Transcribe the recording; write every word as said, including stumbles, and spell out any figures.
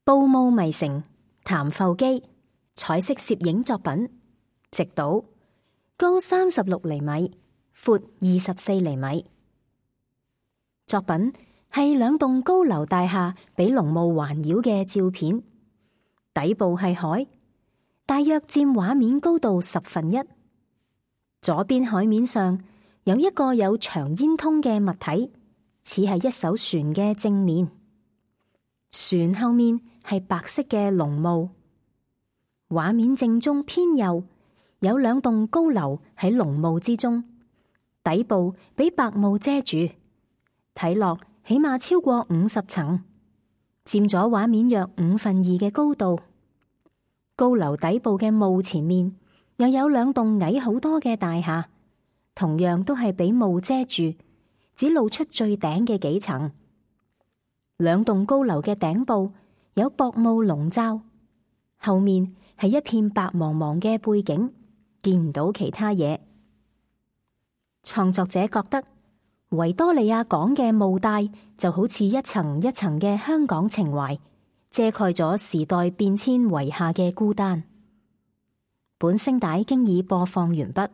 布霧迷城，譚阜基，彩色攝影作品，直島，高三十六厘米，闊二十四厘米。作品係兩棟高樓大廈俾濃霧環繞嘅照片，底部係海，大約佔畫面高度十分一。左邊海面上有一個有長煙通嘅物體，似係一艘船嘅正面。船後面係白色嘅濃霧。畫面正中偏右有兩棟高樓喺濃霧之中，底部俾白霧遮住，睇落起碼超過五十層，佔咗畫面約五分二嘅高度。高樓底部嘅霧前面又有兩棟矮好多嘅大廈，同樣都係俾霧遮住，只露出最頂嘅幾層。兩棟高樓嘅頂部有薄霧籠罩，後面係一片白茫茫嘅背景，見唔到其他嘢。創作者覺得維多利亞港嘅霧帶就好似一層一層嘅香港情懷，遮蓋咗時代變遷遺下嘅孤單。本聲帶經已播放完畢。